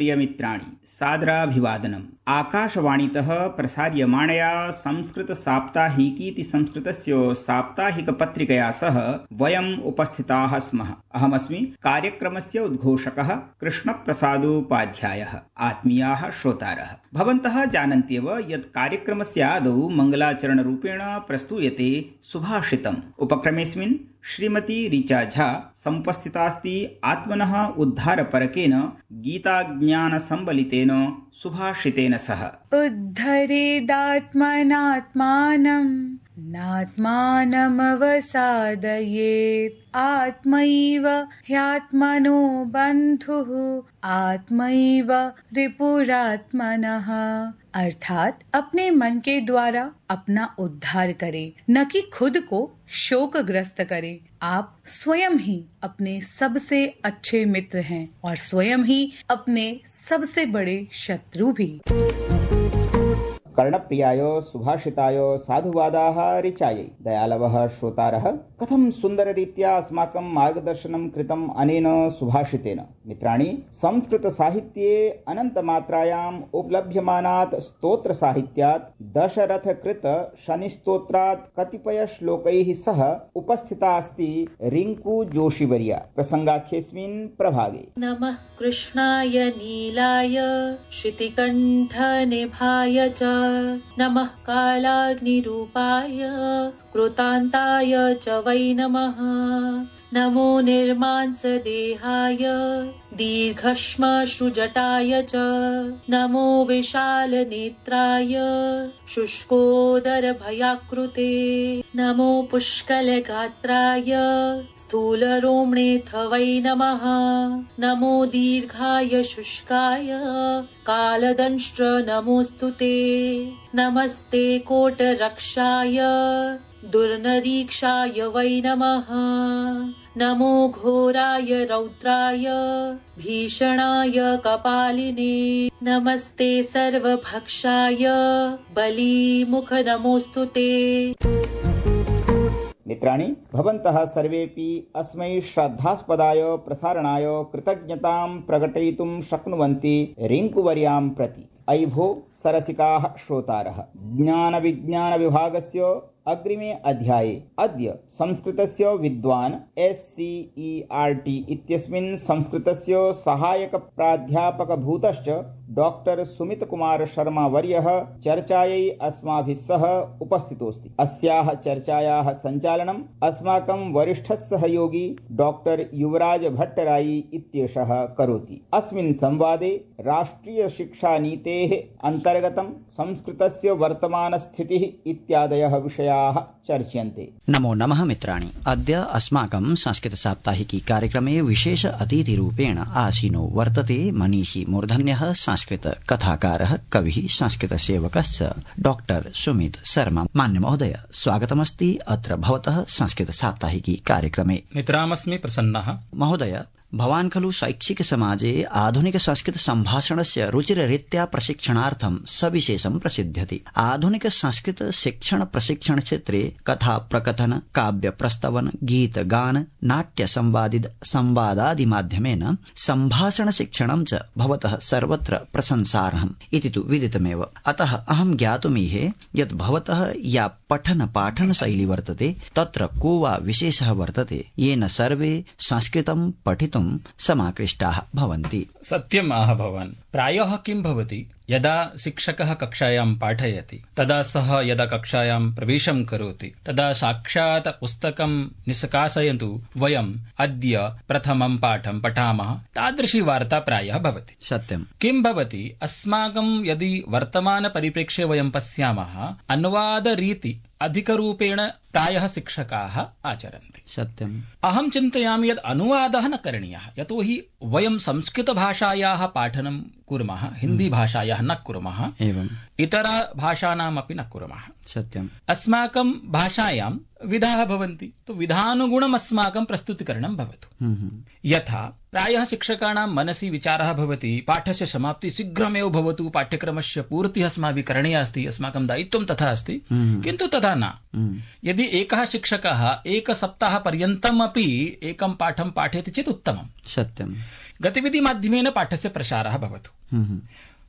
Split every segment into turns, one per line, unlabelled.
प्रियमित्राणि सादराभिवादनम्। आकाशवाणीतः प्रसार्यमाणया संस्कृतसाप्ताहिकीति संस्कृतस्य साप्ताहिकपत्रिकया सह वयम् उपस्थिताः स्मः। अहमस्मि कार्यक्रमस्य उद्घोषकः कृष्णप्रसादोपाध्यायः। आत्मीयाः श्रोतारः, भवन्तः जानन्त्येव यत् कार्यक्रमस्य आदौ मङ्गलाचरणरूपेण प्रस्तूयते सुभाषितम्। उपक्रमेऽस्मिन् श्रीमती ऋचा झा समुपस्थितास्ति आत्मनः उद्धारपरकेन गीताज्ञानसम्बलितेन सुभाषितेन सह।
उद्धरेदात्मनात्मानं नात्मानमवसादयेत् आत्मैव ह्यात्मनो बन्धुः आत्मैव रिपुरात्मनः। अर्थात अपने मन के द्वारा अपना उद्धार करे, न कि खुद को शोकग्रस्त करे। आप स्वयं ही अपने सबसे अच्छे मित्र हैं और स्वयं ही अपने सबसे बड़े शत्रु भी।
कर्णप्रियाय सुभाषिताय साधुवादाः ऋचायै। दयालवः श्रोतारः, कथं सुन्दररीत्या अस्माकं मार्गदर्शनं कृतम् अनेन सुभाषितेन। मित्राणि, संस्कृतसाहित्ये अनन्तमात्रायाम् उपलभ्यमानात् स्तोत्रसाहित्यात् दशरथकृत शनिस्तोत्रात् कतिपयश्लोकैः सह उपस्थिता अस्ति रिङ्कु जोशीवर्या। प्रसङ्गाख्येऽस्मिन् प्रभागे
नमः कृष्णाय नीलाय श्रुतिकण्ठनिभाय च नमः कालाग्निरूपाय कृतान्ताय च वै नमः। नमो निर्मांसदेहाय दीर्घश्मश्रुजटाय च नमो विशालनेत्राय शुष्कोदरभयाकृते नमो पुष्कलगात्राय स्थूलरोम्णेऽथ वै नमः। नमो दीर्घाय शुष्काय कालदंष्ट्र नमोऽस्तु ते। नमस्ते कोटरक्षाय दुर्निरीक्षाय वै नमः। नमो घोराय रौद्राय भीषणाय कपालिने नमस्ते सर्वभक्षाय बलीमुख नमोऽस्तु ते।
मित्राणि, भवन्तः सर्वेपि अस्मै श्रद्धास्पदाय प्रसारणाय कृतज्ञतां प्रकटयितुं शक्नुवन्ति रिङ्कुवर्यां प्रति। अयि भो सरसिकाः श्रोतारः, ज्ञानविज्ञानविभागस्य अग्रिमे अध्याये अद्य संस्कृतस्य विद्वान् SCERT इत्यस्मिन् संस्कृतस्य सहायक प्राध्यापकभूतश्च डॉक्टर सुमित कुमार शर्मा वर्यः चर्चायै अस्माभिः सह उपस्थितोऽस्ति। अस्याः चर्चायाः सञ्चालनम् अस्माकं वरिष्ठः सहयोगी डॉक्टर युवराज भट्टराई इत्येषः करोति। अस्मिन् संवादे राष्ट्रिय शिक्षा नीतेः अन्तर्गतं संस्कृतस्य वर्तमानस्थितिः इत्यादयः विषयाः चर्च्यन्ते।
नमो नमः मित्राणि, अद्य अस्माकं संस्कृत साप्ताहिकी कार्यक्रमे विशेष अतिथिरूपेण आसीनो वर्तते मनीषी मूर्धन्यः संस्कृत कथाकारः कविः संस्कृतसेवकश्च डॉक्टर सुमित शर्मा। मान्य महोदय, स्वागतमस्ति अत्र भवतः संस्कृत साप्ताहिकी कार्यक्रमे।
मित्रामस्मि प्रसन्नः।
महोदय, भवान् खलु शैक्षिक समाजे आधुनिक संस्कृत सम्भाषणस्य रुचिररीत्या प्रशिक्षणार्थं सविशेषं प्रसिद्ध्यति। आधुनिक संस्कृत शिक्षण प्रशिक्षण क्षेत्रे कथा प्रकथन, काव्य प्रस्तवन, गीत गान, नाट्य संवादादि माध्यमेन सम्भाषण शिक्षणं च भवतः सर्वत्र प्रशंसार्हम् इति तु विदितमेव। अतः अहं ज्ञातुमीहे यत् भवतः या पठन पाठन शैली वर्तते तत्र को वा विशेषः वर्तते येन सर्वे संस्कृतं पठितुं समाकृष्टाः भवन्ति।
सत्यम् आह भवान्। प्रायः किं भवति, यदा शिक्षकः कक्षायां पाठयति तदा सः यदा कक्षायां प्रवेशं करोति तदा साक्षात् पुस्तकं निष्कासयन्तु वयम् अद्य प्रथमं पाठं पठामः, तादृशी वार्ता प्रायः भवति।
सत्यम्।
किं भवति, अस्माकं यदि वर्तमानपरिप्रेक्ष्ये वयं पश्यामः, अनुवादरीति अधिकरूपेण प्रायः शिक्षकाः आचरन्ति।
सत्यम्।
अहं चिन्तयामि यत् अनुवादः न करणीयः, यतोहि वयं संस्कृतभाषायाः पाठनं कुर्मः, हिन्दीभाषायाः न कुर्मः,
एवम्
इतरभाषाणामपि न कुर्मः।
सत्यम्।
अस्माकं भाषायां विधाः भवन्ति, तो विधानुगुणम् अस्माकं प्रस्तुतिकरणं भवतु। यथा प्रायः शिक्षकाणां मनसि विचारः भवति पाठस्य समाप्ति शीघ्रमेव भवतु, पाठ्यक्रमस्य पूर्तिः अस्माभिः करणीया अस्ति, अस्माकं दायित्वं तथा अस्ति, किन्तु तथा न। यदि एकः शिक्षकः एकसप्ताहपर्यन्तमपि एकं पाठं पाठयति चेत् उत्तमम्।
सत्यम्।
गतिविधिमाध्यमेन पाठस्य प्रसारः भवतु।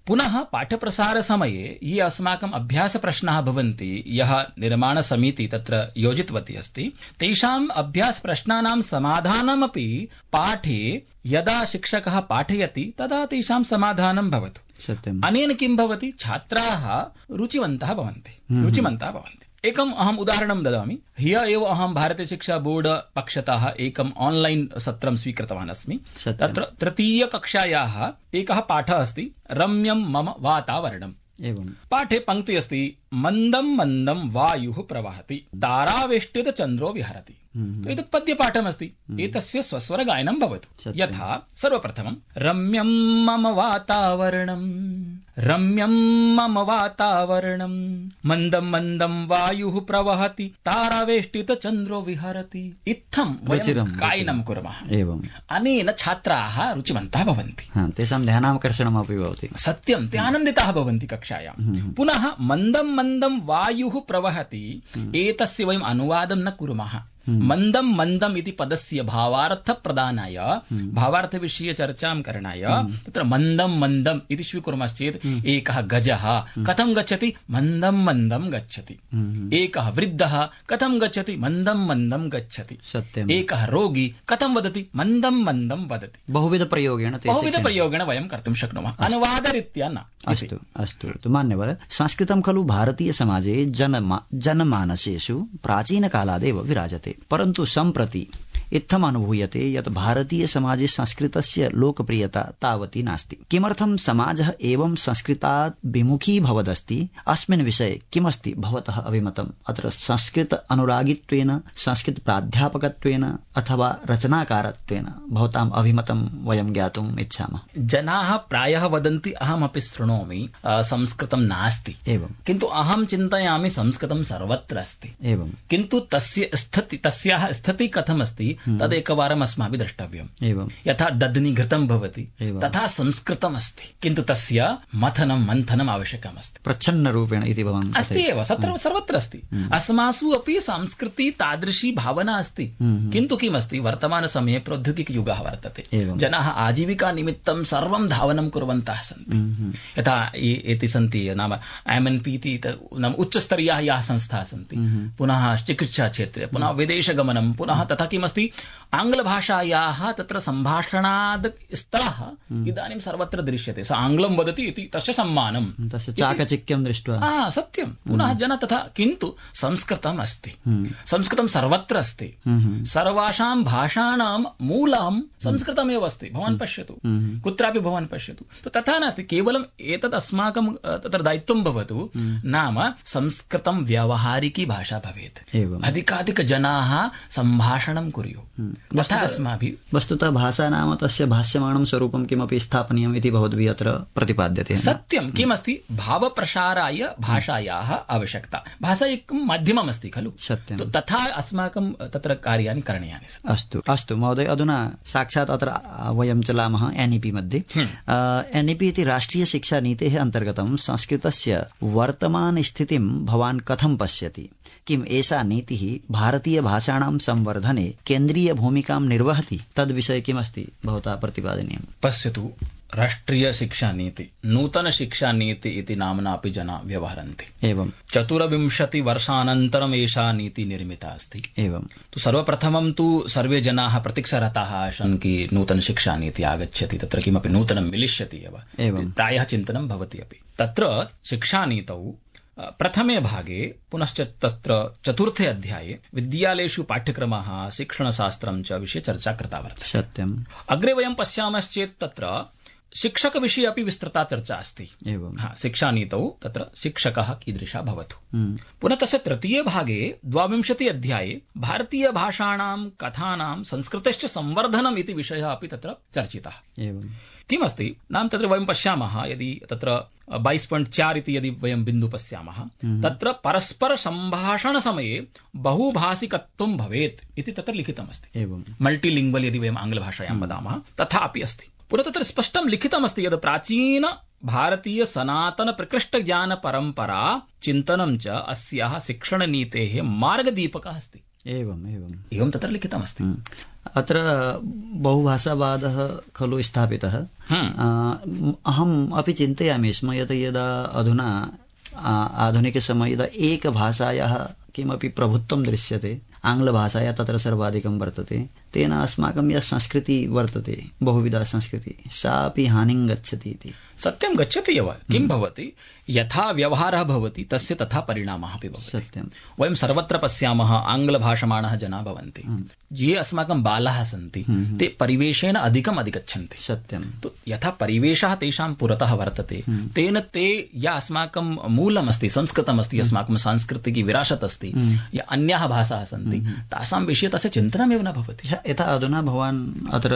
पुनः पाठप्रसारसमये ये अस्माकम् अभ्यासप्रश्नाः भवन्ति, यः निर्माणसमिति तत्र योजितवती अस्ति, तेषाम् अभ्यासप्रश्नानां समाधानमपि पाठे यदा शिक्षकः पाठयति तदा तेषां समाधानं भवतु।
सत्यम्।
अनेन किं भवति, छात्राः रुचिवन्तः भवन्ति। एकम् अहम् उदाहरणं ददामि। ह्यः एव अहं भारतीय शिक्षा बोर्ड पक्षतः एकम् ऑनलाइन सत्रं स्वीकृतवान् अस्मि। तत्र तृतीयकक्षायाः एकः पाठः अस्ति, रम्यं मम वातावरणम्। पाठे पङ्क्ति अस्ति, मन्दं मन्दं वायुः प्रवहति, तारावेष्टित चन्द्रो विहरति। एतत् पद्यपाठमस्ति, एतस्य स्वस्वरगायनं भवतु। यथा सर्वप्रथमं रम्यं मम वातावरणं, रम्यं मम वातावरणं, मन्दं मन्दं वायुः प्रवहति, तारावेष्टित चन्द्रो विहरति। इत्थं वयं गायनं कुर्मः। अनेन छात्राः रुचिवन्तः भवन्ति,
तेषां ध्यानाकर्षणमपि भवति।
सत्यं, ते आनन्दिताः भवन्ति कक्षायां। पुनः मन्दं मन्दं वायुः प्रवहति, एतस्य वयम् अनुवादं न कुर्मः। मन्दं मन्दम् इति पदस्य भावार्थप्रदानाय, भावार्थविषये चर्चां करणाय तत्र मन्दं मन्दम् इति स्वीकुर्मश्चेत् एकः गजः कथं गच्छति, मन्दं मन्दं गच्छति। एकः वृद्धः कथं गच्छति, मन्दं मन्दं गच्छति।
सत्यम्।
एकः रोगी कथं वदति, मन्दं मन्दं वदति। बहुविधप्रयोगेण वयं कर्तुं शक्नुमः, अनुवादरीत्या न।
अस्तु मान्यवर, संस्कृतं खलु भारतीय समाजे जनमानसेषु प्राचीनकालादेव विराजते, परन्तु सम्प्रति इत्थम् अनुभूयते यत् भारतीय समाजे संस्कृतस्य लोकप्रियता तावती नास्ति। किमर्थं समाजः एवं संस्कृतात् विमुखी भवदस्ति, अस्मिन् विषये किमस्ति भवतः अभिमतम्? अत्र संस्कृत अनुरागित्वेन, संस्कृत प्राध्यापकत्वेन अथवा रचनाकारत्वेन भवताम् अभिमतं वयं ज्ञातुम् इच्छामः।
जनाः प्रायः वदन्ति, अहमपि शृणोमि, संस्कृतं नास्ति। किन्तु अहं चिन्तयामि संस्कृतं सर्वत्र अस्ति। किन्तु तस्याः स्थितिः कथमस्ति तदेकवारम् अस्माभिः द्रष्टव्यम्। यथा दध्नि घृतं भवति तथा संस्कृतम् अस्ति, किन्तु तस्य मथनं मन्थनम् आवश्यकमस्ति।
प्रच्छन्नरूपेण इति भवान्
अस्ति एव, सर्वत्र अस्ति। अस्मासु अपि संस्कृति तादृशी भावना अस्ति, किन्तु किमस्ति, वर्तमानसमये प्रौद्योगिकयुगः वर्तते। जनाः आजीविकानिमित्तं सर्वं धावनं कुर्वन्तः सन्ति। यथा एति सन्ति नाम MNP इति नाम उच्चस्तरीयाः याः संस्थाः सन्ति, पुनः चिकित्साक्षेत्रे, पुनः विदेशगमनं, पुनः तथा किमस्ति, आङ्ग्लभाषायाः तत्र सम्भाषणाद् स्तरः इदानीं सर्वत्र दृश्यते। स आङ्ग्लं वदति इति तस्य सम्मानं,
तस्य चाकचिक्यं दृष्ट्वा
सत्यं। पुनः जन तथा, किन्तु संस्कृतम् अस्ति, संस्कृतं सर्वत्र अस्ति। सर्वासां भाषाणां मूलं संस्कृतमेव अस्ति। भवान् पश्यतु, कुत्रापि भवान् पश्यतु, तथा नास्ति केवलम् एतत् अस्माकं तत्र दायित्वं भवतु, नाम संस्कृतं व्यावहारिकी भाषा भवेत्। अधिकाधिकजनाः सम्भाषणं कुर्युः, तथा अस्माभिः।
वस्तुतः भाषा नाम तस्य भाष्यमाणं स्वरूपं किमपि स्थापनीयम् इति भवद्भिः अत्र प्रतिपाद्यते।
सत्यं। किमस्ति, भावप्रसाराय भाषायाः आवश्यकता। भाषा एकं माध्यमम् अस्ति खलु।
सत्यं।
तथा अस्माकं तत्र कार्याणि करणीयानि सन्ति। अस्तु
महोदय, अधुना साक्षात् अत्र वयं चलामः NEP मध्ये। NEP इति राष्ट्रिय शिक्षा नीतेः अन्तर्गतं संस्कृतस्य वर्तमानस्थितिं भवान् कथं पश्यति? किम् एषा नीतिः भारतीय भाषाणां संवर्धने केन्द्रीय भूमिकां निर्वहति? तद्विषये किमस्ति भवता प्रतिपादनीयम्?
पश्यतु, राष्ट्रिय शिक्षा नीति, नूतन शिक्षा नीति इति नाम्ना अपि जना व्यवहरन्ति। 24 वर्षानन्तरम् एषा नीति निर्मिता अस्ति। तु सर्वप्रथमं तु सर्वे जनाः प्रतीक्षारताः आसन् कि नूतन शिक्षा नीति आगच्छति, तत्र किमपि नूतनं मिलिष्यति एव, प्रायः चिन्तनं भवति अपि। तत्र शिक्षानीतौ प्रथमे भागे पुनश्च तत्र 4थे अध्याये विद्यालयेषु पाठ्यक्रमः, शिक्षणशास्त्रं च विषये चर्चा कृता वर्तते।
सत्यम्।
अग्रे वयं पश्यामश्चेत् तत्र शिक्षकविषये अपि विस्तृता चर्चा अस्ति।
एवं
शिक्षानीतौ तत्र शिक्षकः कीदृशः भवतु। पुनः तस्य तृतीये भागे 22 अध्याये भारतीयभाषाणां कथानां संस्कृतेश्च संवर्धनम् इति विषयः अपि तत्र चर्चितः। किमस्ति नाम तत्र वयं पश्यामः, यदि तत्र 22.4 इति यदि वयं बिन्दु पश्यामः, तत्र परस्पर सम्भाषणसमये बहुभाषिकत्वं भवेत् इति तत्र लिखितमस्ति। मल्टीलिङ्ग्वल् यदि वयम् आङ्ग्लभाषायां वदामः तथा अपि अस्ति। पुनः तत्र स्पष्टं लिखितमस्ति यद् प्राचीन भारतीय सनातन प्रकृष्ट ज्ञान परम्परा चिन्तनं च अस्याः शिक्षणनीतेः मार्गदीपकः अस्ति। एवं तत्र लिखितमस्ति।
अत्र बहुभाषावादः खलु स्थापितः। अहम् अपि चिन्तयामि स्म यत् यदा अधुना आधुनिकसमये यदा एकभाषायाः किमपि प्रभुत्वं दृश्यते, आङ्ग्लभाषाया तत्र सर्वाधिकं वर्तते, तेन अस्माकं या संस्कृति वर्तते, बहुविधा संस्कृति, सा अपि हानिं गच्छति इति।
सत्यं गच्छति एव। किं भवति, यथा व्यवहारः भवति तस्य तथा परिणामः अपि भवति।
सत्यं।
वयं सर्वत्र पश्यामः आङ्ग्लभाषमाणः जनाः भवन्ति, ये अस्माकं बालाः सन्ति ते परिवेशेन अधिकम् अधिगच्छन्ति।
सत्यं।
तो यथा परिवेशः तेषां पुरतः वर्तते, तेन ते या अस्माकं मूलमस्ति, संस्कृतमस्ति, अस्माकं सांस्कृतिकी विरासत् अस्ति, या अन्याः भाषाः सन्ति, तासां विषये तस्य चिन्तनमेव न भवति।
यथा अधुना भवान् अत्र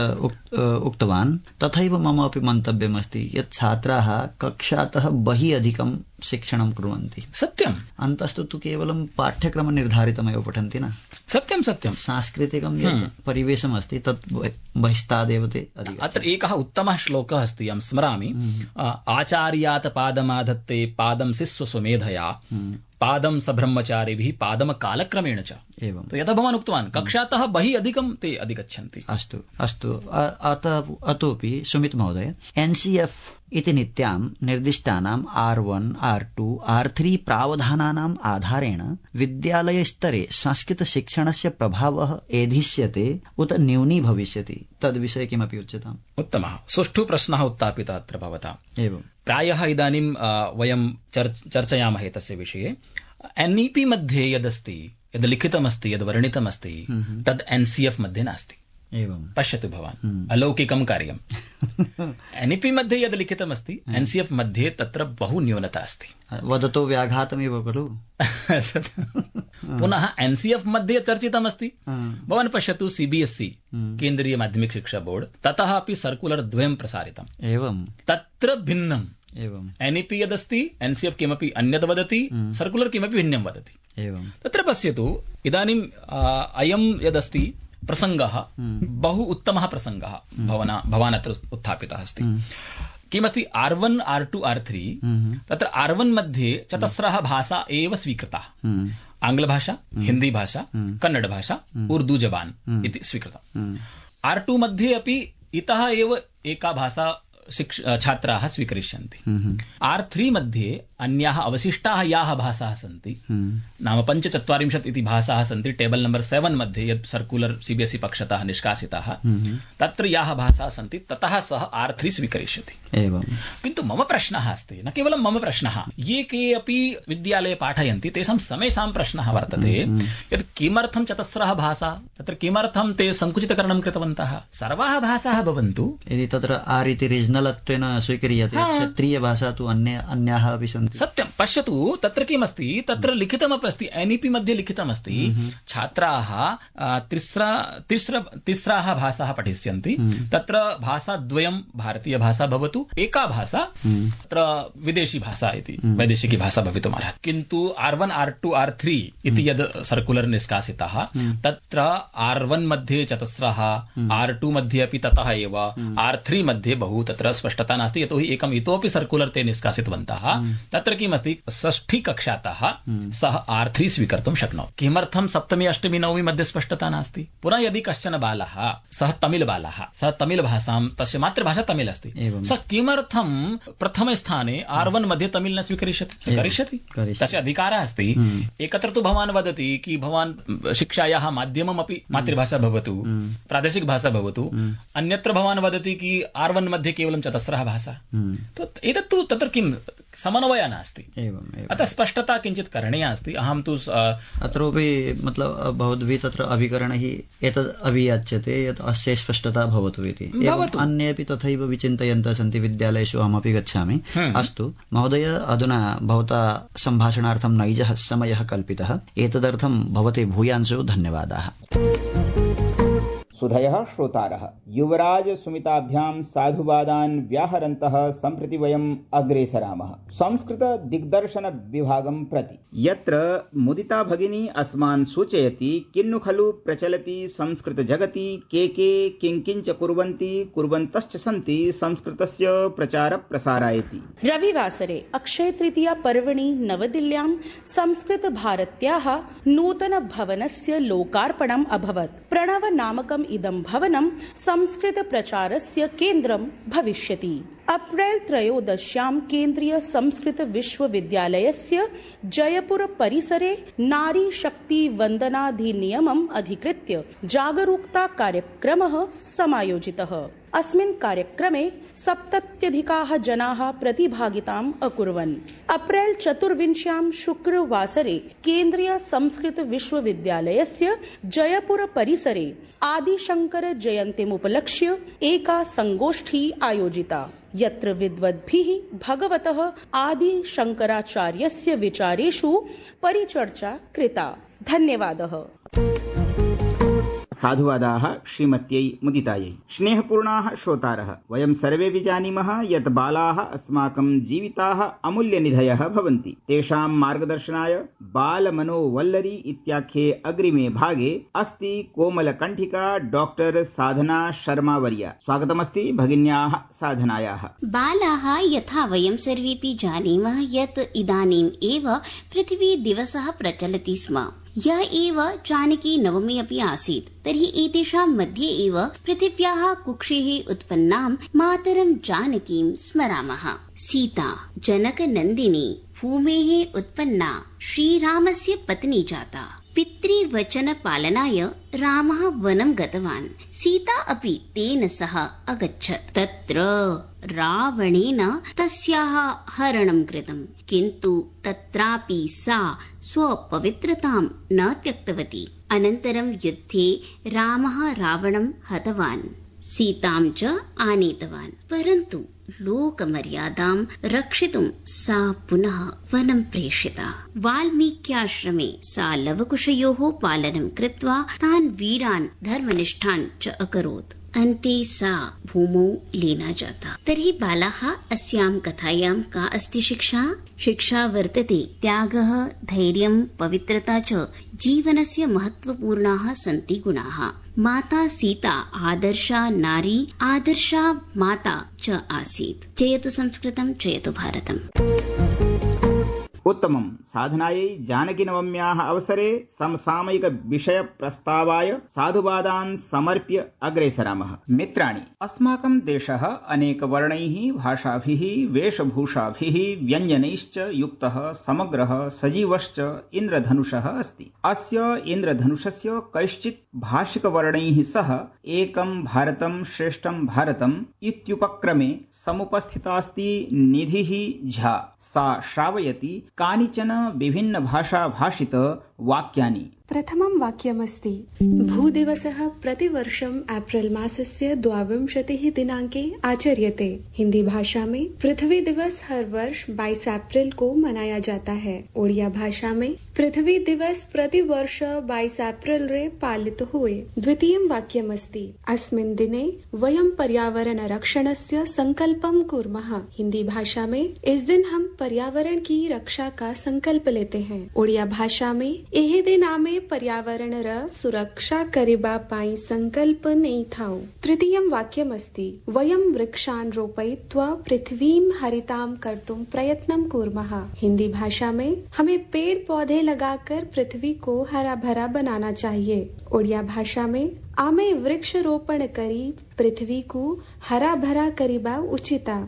उक्तवान्, तथैव मम अपि मन्तव्यमस्ति यत् छात्राः कक्षातः बहिः अधिकं शिक्षणं कुर्वन्ति।
सत्यम्।
अन्तस्तु तु केवलं पाठ्यक्रमनिर्धारितमेव पठन्ति न।
सत्यं सत्यं।
सांस्कृतिकं यत् परिवेशमस्ति तत् बहिस्तादेव ते अधिकम्।
अत्र एकः उत्तमः श्लोकः अस्ति, अहं स्मरामि। आचार्यात् पादमाधत्ते पादं शिष्य सुमेधया पादं सब्रह्मचारिभिः पादम कालक्रमेण च।
एवं।
तो यथा भवान् उक्तवान्, कक्षातः बहिः अधिकं ते अधिगच्छन्ति।
अस्तु। अतोपि सुमित महोदय, NCF इति नीत्यां निर्दिष्टानां R1, R2, R3 प्रावधानानाम् आधारेण विद्यालयस्तरे संस्कृतशिक्षणस्य प्रभावः एधिष्यते उत न्यूनी भविष्यति, तद्विषये किमपि उच्यताम्।
उत्तमः, सुष्ठु प्रश्नः उत्थापितः अत्र भवता।
एवं।
प्रायः इदानीं वयं चर्चयामः तस्य विषये। NEP मध्ये यदस्ति, यद् लिखितमस्ति, यद् वर्णितमस्ति, तद् NCF मध्ये नास्ति।
एवं।
पश्यतु भवान्, अलौकिकं कार्यम्। NEP मध्ये यद् लिखितमस्ति, NCF मध्ये तत्र बहु न्यूनता अस्ति।
वदतो व्याघातमेव खलु।
पुनः NCF मध्ये चर्चितमस्ति, भवान् पश्यतु CBSE केन्द्रीय माध्यमिक शिक्षा बोर्ड, ततः अपि सर्कुलर् द्वयं प्रसारितम्।
एवं।
तत्र भिन्नम्।
एवं।
NEP यदस्ति, NCF किमपि अन्यत् वदति, सर्कुलर् किमपि भिन्नं वदति।
एवं।
तत्र पश्यतु, इदानीम् अयं यदस्ति प्रसङ्गः बहु उत्तमः प्रसङ्गः भवान् अत्र उत्थापितः अस्ति। किमस्ति, R1, R2, R3, तत्र R1 मध्ये चतस्रः भाषा एव स्वीकृताः। आङ्ग्लभाषा, हिन्दी भाषा, कन्नड भाषा, उर्दू जबान इति स्वीकृतम्। R2 मध्ये अपि इतः एव एका भाषा छात्राः स्वीकरिष्यन्ति। R3 मध्ये अन्याः अवशिष्टाः याः भाषाः सन्ति, नाम 45 इति भाषाः सन्ति, टेबल नंबर 7 मध्ये यत् सर्कुलर CBSE पक्षतः निष्कासिताः, तत्र याः भाषाः सन्ति ततः सः R3 स्वीकरिष्यति।
एवं।
किन्तु मम प्रश्नः अस्ति, न केवलं मम प्रश्नः, ये के अपि विद्यालये पाठयन्ति तेषां समेषां प्रश्नः वर्तते यत् किमर्थं चतस्रः भाषा, तत्र किमर्थं ते सङ्कुचितकरणं कृतवन्तः। सर्वाः भाषाः भवन्तु,
यदि तत्र R इति रीजनलत्वेन स्वीक्रियते, क्षेत्रीयभाषा तु अन्याः अपि सन्ति।
सत्यं। पश्यतु, तत्र किमस्ति, तत्र लिखितमपि अस्ति, NEP मध्ये लिखितमस्ति, छात्राः तिस्राः भाषाः पठिष्यन्ति। तत्र भाषाद्वयं भारतीयभाषा भवतु, एका भाषा तत्र विदेशी भाषा इति वैदेशिकी भाषा भवितुमर्हति। किन्तु R1, R2, R3 इति यद् सर्कुलर् निष्कासितः, तत्र R1 मध्ये चतस्रः, R2 मध्ये अपि ततः एव, R3 मध्ये बहु तत्र स्पष्टता नास्ति, यतोहि एकम् इतोपि सर्कुलर् ते निष्कासितवन्तः। तत्र किमस्ति, षष्ठी कक्षातः सः R3 स्वीकर्तुं शक्नोति। किमर्थं सप्तमी, अष्टमी, नवमी मध्ये स्पष्टता नास्ति। पुनः यदि कश्चन बालः, सः तमिल् बालः, सः तमिल् भाषां, तस्य मातृभाषा तमिल् अस्ति, सः किमर्थं प्रथमे स्थाने R1 मध्ये तमिल् न स्वीकरिष्यति? करिष्यति, तस्य अधिकारः अस्ति। एकत्र तु भवान् वदति कि भवान् शिक्षायाः माध्यममपि मातृभाषा भवतु, प्रादेशिक भाषा भवतु, अन्यत्र भवान् वदति कि R1 मध्ये केवलं चतस्रः भाषा। एतत्तु तत्र किं समन्वयः निश्चयः नास्ति। अतः स्पष्टता किञ्चित् करणीया अस्ति। अहं तु
अत्रापि मतलब बहुद्भिः तत्र अभिकरणैः एतद् अभियाच्यते यत् अस्य स्पष्टता भवतु इति। अन्येपि तथैव विचिन्तयन्तः सन्ति विद्यालयेषु, अहमपि गच्छामि। अस्तु महोदय, अधुना भवता सम्भाषणार्थं नैजः समयः कल्पितः, एतदर्थं भवते भूयांशो धन्यवादाः।
सुधयः श्रोतारः, युवराज सुमिताभ्यां साधुवादान् व्याहरन्तः सम्प्रति वयम् अग्रे सरामः संस्कृत दिग्दर्शन विभागं प्रति, यत्र मुदिता भगिनी अस्मान् सूचयति किन्नु खलु प्रचलति संस्कृत जगति के किंकिंच कुर्वन्ति कुर्वन्तश्च सन्ति संस्कृतस्य प्रचार प्रसारायति।
रविवासरे अक्षय तृतीया पर्वणि नवदिल्ल्यां संस्कृत भारत्याः नूतन भवनस्य लोकार्पणम् अभवत्। प्रणव नामकम् इदं भवनं संस्कृत प्रचारस्य केन्द्रं भविष्यति। अप्रैल 13 केन्द्रीय संस्कृत विश्वविद्यालयस्य जयपुर परिसरे नारी शक्ति वन्दनाधिनियमम् अधिकृत्य जागरूकता कार्यक्रमः समायोजितः। अस्मिन् कार्यक्रमे 70+ जनाः प्रतिभागिताम् अकुर्वन्। अप्रैल 24 शुक्रवासरे केन्द्रीय संस्कृत विश्वविद्यालयस्य जयपुर परिसरे आदिशंकर जयन्तीमुपलक्ष्य एका संगोष्ठी आयोजिता, यत्र विद्वद्भिः भगवतः आदिशंकराचार्यस्य विचारेषु परिचर्चा कृता। धन्यवादः।
साधुवादाः श्रीमत्यै मुदितायै। स्नेहपूर्णाः श्रोतारः, वयं सर्वे विजानीमः यत् बालाः अस्माकं जीविताः अमूल्यनिधयः भवन्ति। तेषां मार्गदर्शनाय बालमनोवल्लरी इत्याख्ये अग्रिमे भागे अस्ति कोमलकण्ठिका डॉक्टर साधना शर्मा वर्या। स्वागतमस्ति भगिन्याः साधनायाः।
बालाः, यथा वयं सर्वेपि जानीमः यत् इदानीम् एव पृथ्वी दिवसः प्रचलति स्म। यः एव जानकी नवमी अपि आसीत्। तर्हि एतेषां मध्ये एव पृथिव्याः कुक्षेः उत्पन्नां मातरं जानकीं स्मरामः। सीता जनकनन्दिनी भूमेः उत्पन्ना श्रीरामस्य पत्नी जाता। पितृवचन पालनाय रामः वनं गतवान्। सीता अपि तेन सह अगच्छत्। तत्र रावणेन तस्याः हरणं कृतम्, किन्तु तत्रापि सा स्वपवित्रतां न त्यक्तवती। अनन्तरं युद्धे रामः रावणं हतवान्, सीतां च आनीतवान्। परन्तु लोकमर्यादां रक्षितुं सा पुनः वनं प्रेषिता। वाल्मीक्याश्रमे सा लवकुशयोः पालनं कृत्वा तान् वीरान् धर्मनिष्ठान् च अकरोत्। अन्ते सा भूमौ लीना जाता। तर्हि बालाः, अस्यां कथायां का अस्ति शिक्षा? शिक्षा वर्तते त्यागः, धैर्यं, पवित्रता च जीवनस्य महत्वपूर्णाः सन्ति गुणाः। माता सीता आदर्शा नारी, आदर्शा माता च आसीत्। जयतु संस्कृतं, जयतु भारतम्।
उत्तमं। साधनायै जानकीनवम्याः अवसरे समसामयिक विषय प्रस्तावाय साधुवादान् समर्प्य अग्रे सरामः। मित्राणि, अस्माकं देशः अनेकवर्णैः, भाषाभिः, वेशभूषाभिः, व्यञ्जनैश्च युक्तः समग्रः सजीवश्च इन्द्रधनुषः अस्ति। अस्य इन्द्रधनुषस्य कैश्चित् भाषिकवर्णैः सह एकं भारतं श्रेष्ठं भारतम् इत्युपक्रमे समुपस्थितास्ति निधिः झा। सा श्रावयति कानिचन विभिन्न भाषा भाषित वाक्यानि।
प्रथमं वाक्यमस्ति, भूदिवसः प्रतिवर्षम् अप्रैल मासस्य 22 दिनांके आचर्यते। हिंदी भाषा में पृथ्वी दिवस हर वर्ष 22 अप्रैल को मनाया जाता है। ओडिया भाषा में पृथ्वी दिवस प्रति वर्ष 22 अप्रैल रे पालित हुए। द्वितीयं वाक्यमस्ति, अस्मिन् दिने वयं पर्यावरण रक्षणस्य संकल्पं कुर्मः। हिंदी भाषा में इस दिन हम पर्यावरण की रक्षा का संकल्प लेते हैं। ओडिया भाषा में एहे दिन आमे पर्यावरण र सुरक्षा करिबा पाई संकल्प नहीं थाओ। तृतीयं वाक्यमस्ति, वयं वृक्षान् रोपयित्वा पृथ्वीं हरितां कर्तुं प्रयत्नं कुर्मः। हिंदी भाषा में हमें पेड़ पौधे लगाकर पृथ्वी को हरा भरा बनाना चाहिए। ओडिया भाषा में आमे वृक्ष रोपण करी पृथ्वी को हरा भरा करिबा उचिता।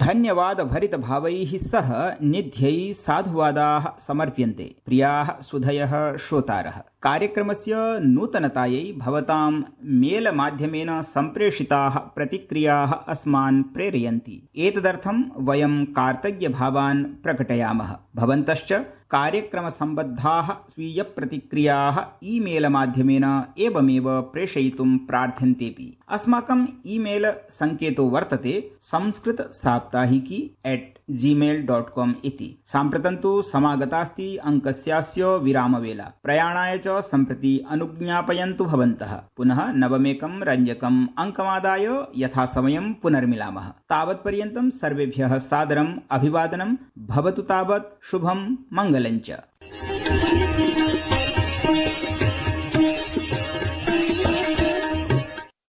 धन्यवाद भरित भावैः सह निध्यैः साधुवादाः समर्प्यन्ते। प्रियाः सुधयः श्रोतारः, कार्यक्रमस्य नूतनतायै भवतां मेल माध्यमेन सम्प्रेषिताः प्रतिक्रियाः अस्मान् प्रेरयन्ति। एतदर्थं वयं कार्तज्ञभावान् प्रकटयामः। भवन्तश्च कार्यक्रमसम्बद्धाः स्वीयप्रतिक्रियाः ईमेल माध्यमेन एवमेव प्रेषयितुं प्रार्थ्यन्तेऽपि। अस्माकं ईमेल सङ्केतो वर्तते संस्कृतसाप्ताहिकी@gmail.com इति। साम्प्रतं तु समागतास्ति अङ्कस्यास्य विरामवेला। प्रयाणाय च सम्प्रति अनुज्ञापयन्तु भवन्तः। पुनः नवमेकं रञ्जकम् अङ्कमादाय यथासमयं पुनर्मिलामः। तावत्पर्यन्तं सर्वेभ्यः सादरम् अभिवादनं। भवतु तावत् शुभं मङ्गलञ्च।